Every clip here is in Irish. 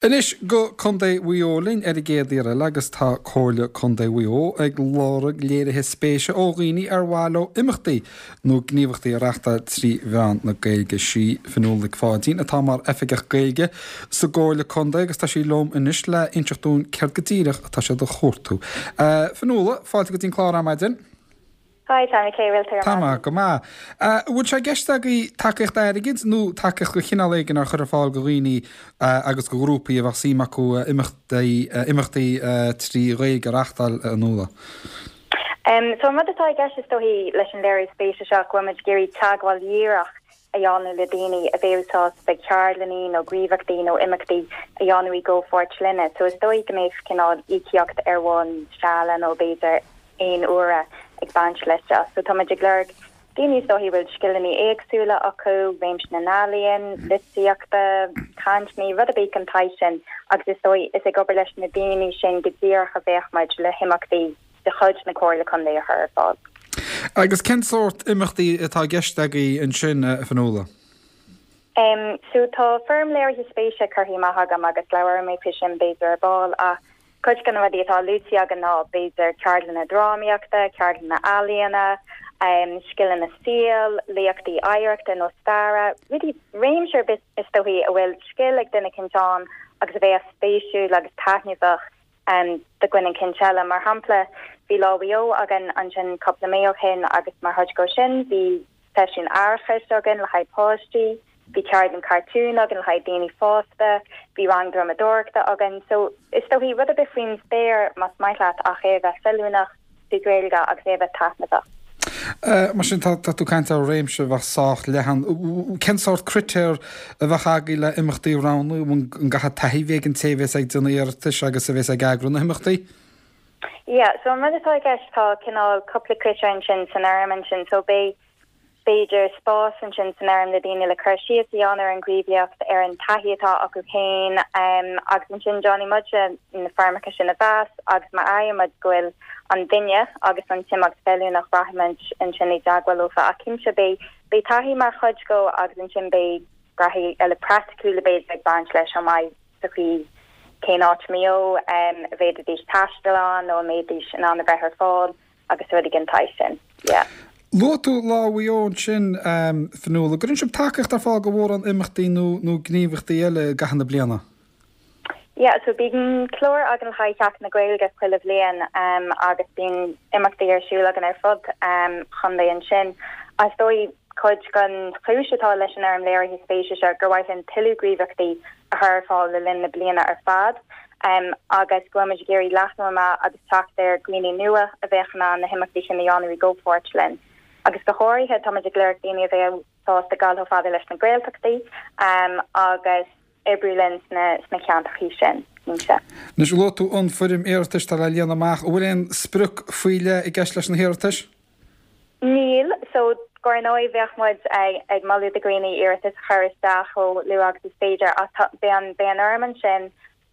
Anois go Contae Mhaigh Eo linn ar an gcéad iarraidh eile agus tá Comhairle Contae Mhaigh Eo ag lorg léirithe spéise ó dhaoine ar mhaith leo imeachtaí nó gníomhachtaí a reachtáil trí mheán na Gaeilge. Sí Fionnuala Nic Pháidín atá mar Oifigeach Gaeilge sa gComhairle Contae agus tá sí liom anois le inseacht dúinn céard go díreach atá siad a chuartú. Fionnuala, fáilte go dtí an clár ar maidin. Hi Tommy, cén chaoi a bhfuil tú ar Tá mé go maith. An bhfuil sé i gceist agaibh tacaíocht airgid nó tacaíocht de chineál éigin a chur ar fáil do dhaoine agus do ghrúpaí a bheadh suim acu imeachtaí imeachtaí trí Ghaeilge a reachtáil, a Fhionnuala? So an rud atá i gceist is dóichí leis an léiriú spéise seo go bhfuil muid ag iarraidh teagmháil dhíreach a dhéanamh le daoine a bheadh sásta ceardlanna nó gníomhaíochtaí nó imeachtaí a dhéanamh i gcomhpháirt linne. So is dóigh go mbeadh cineál íocaíocht ar bhonn seala nó b'fhéidir aon uaire ag baint leis seo. So tá muid ag lorg daoine is dóichí a bhfuil scileanna éagsúla acu, réimse na n-ealaíon, litríochta, cainteanna, rud ar bith den tsaghas sin agus is dóigh is ag obair leis na daoine sin go díreach a bheadh muid le himeachtaí de chuid na Comhairle Contae a chur ar fáil. Agus cén sórt imeachtaí atá i gceist agaibh ansin, a Fhionnuala? Em, so tá foirm léirithe spéise curtha amach agam agus labhróidh mé faoi sin b'fhéidir ar ball ach cuid de na rudaí atá luaite againn ná b'fhéidir ceardlanna drámaíochta, ceardlanna ealaíona, em, scileanna saoil, léachtaí oidhreachta nó staire, rudaí, réimse ar bith is dóichí a bhfuil scil ag duine eicínt ann agus a bheadh spéisiúil agus taitneamhach do dhuine eicínt eile. Mar shampla, bhí Lá Mhaigh Eo againn ansin cúpla mí ó shin agus mar chuid de sin bhí seisiún aireachais againn le haghaidh páistí, bhí ceardlann cartún againn le haghaidh daoine fásta, bhí rang drumadóireachta againn. So, is dóichí, rud ar bith faoin spéir más maith leat ach é a bheith feiliúnach trí Ghaeilge agus é a bheith taitneamhach. Mar sin, tá tú ag caint ar réimse a bheadh sách leathan. Cén sórt critéar a bheadh agaibh le imeachtaí a roghnú? An gcaithfidh taithí a bheith ag an té a bhéas ag déanamh iarratais agus a bhéas ag eagrú na himeachtaí? Yeah, so an rud atá i gceist, tá cineál cúpla critéar ansin san fhoirm ansin. So beidh b'fhéidir, spás ansin san fhoirm le daoine le cur síos a dhéanamh ar an ghníomhaíocht, ar an taithí atá acu féin agus ansin déanfaidh muide na foirmeacha sin a mheas agus má fhaigheann muid go bhfuil an duine agus an t-imeacht feiliúnach rachaidh muid ansin i dteagmháil leofa ach cinnte beidh beidh taithí mar chuid dhó agus ansin beidh rudaí eile praiticiúla b'fhéidir ag baint leis chomh maith sa chaoi cén áit i Maigh Eo a bhféadfaidís taisteal ann nó a mbeidís in ann a bheith ar fáil. agus rudaí den tsaghas sin. Yeah. Luaigh tú Lá Mhaigh Eo ansin, Fionnuala. An gcuireann sibh tacaíocht ar fáil do mhórán imeachtaí nó nó gníomhaíochtaí eile i gcaitheamh na bliana? Yeah, so bíonn clár againn le haghaidh Sheachtain na Gaeilge chuile bhliain agus bíonn imeachtaí ar siúl againn ar fud an chontae ansin. Is dóigh cuid den chúis atá leis an fhoirm léirithe spéise seo gur mhaith linn tuilleadh gníomhaíochtaí a chur ar fáil le linn na bliana ar fad. agus go bhfuil muid ag iarraidh leathnú amach agus teacht ar dhaoine nua a bheadh in ann na himeachtaí sin a dhéanamh i gcomhpháirt linn. Agus go háirithe, tá muid ag lorg daoine a bheadh sásta dul chomh fada leis na Gaeltachtaí agus oibriú linn sna sna ceantrachaí sin, cinnte. Anois, luaigh tú an foirm iarratais atá le líonadh amach. An bhfuil aon sprioc faoi leith i gceist leis na hiarratais? Níl. So, dar ndóigh, bheadh muid ag moladh do dhaoine iarratas a chur isteach chomh luath agus is féidir ach tá, beidh an, beidh an fhoirm ansin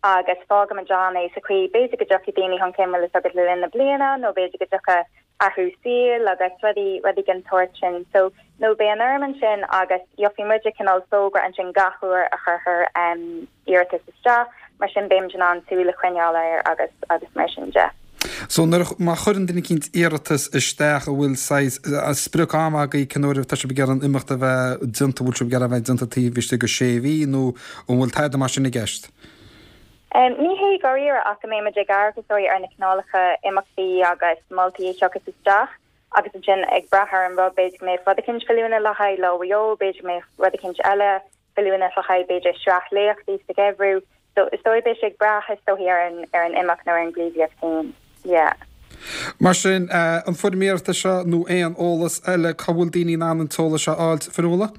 agus fágfaimid ann é sa chaoi, b'fhéidir go dtiocfaidh daoine chun cinn, bhfuil fhios agat, le linn na bliana nó b'fhéidir go dtiocfaidh athrú saoil agus rudaí, rudaí den tsórt sin. So, no, beidh an fhoirm ansin agus gheobhaidh muide cineál fógra ansin gach uair a chuirfear iarratas isteach, mar sin beimid in ann súil a choinneáil air agus agus mar sin de. So nuair a, má chuireann duine eicínt iarratas isteach an bhfuil saghas sprioc ama agaibh cén uair atá sibh ag iarraidh an imeacht a bheith déanta, an bhfuil sibh ag iarraidh a bheith déanta taobh istigh de sé mhí nó an bhfuil tada mar sin i gceist? Ní hé dháiríre ach go mbeimid ag amharc is dóigh ar na cineálacha imeachtaí agus moltaí a thiocfas isteach agus ansin ag brath ar an rud b'fhéidir go mbeadh rud eicínt feiliúnach le haghaidh Lá Mhaigh Eo, b'fhéidir go mbeadh rud eicínt eile feiliúnach le haghaidh, b'fhéidir, sraith léachtaí sa gheimhreadh. So, is dóigh, beidh sé ag brath, is dóichí, ar an, ar an imeacht nó ar an ghníomhaíocht féin. Yeah. Mar sin, an foirm iarratais seo nó aon eolas eile, cá bhfuil daoine in ann an t-eolas seo a fháilt, Fionnuala?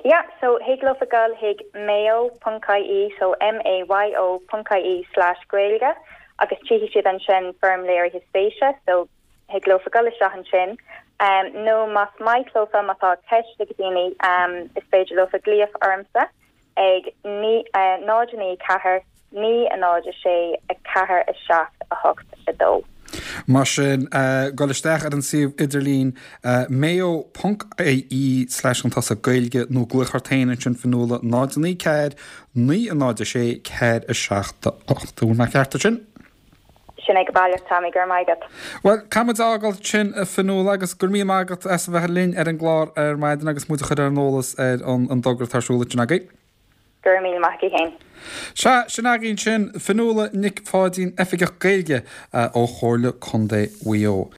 Yeah, so thig leofa dul chuig mayo ponc ie, so M-A-Y-O ponc ie slash Gaeilge agus tchífidh siad ansin foirm léirithe spéise, so Thig leofa dul isteach ansin nó más maith leofa, má tá ceist ag daoine, is féidir leofa glaoch ormsa ag 0 9 4 9 0 6 4 7 8 2. Mar sin, gabh isteach ar an suíomh idirlín mayo ponc ie slash chun tosaigh Gaeilge nó glaoch ort féin ansin Fionnuala 0 9 4 9 0 6 4 7 8. An bhfuil mé ceart ansin? Sin é go baileach, Tommy, go raibh maith agat. Bhuel, caithfidh muid a fhágáil ansin, a Fionnuala, agus go raibh míle maith agat as a bheith linn ar an gclár ar maidin agus muid a chur ar an eolas ar an dtogra atá ar siúl ansin agaibh. Go raibh míle maith agat féin. Sea, sin againn sin, Fionnuala Nic Pháidín, Oifigeach Gaeilge ó Chomhairle Contae Mhaigh Eo.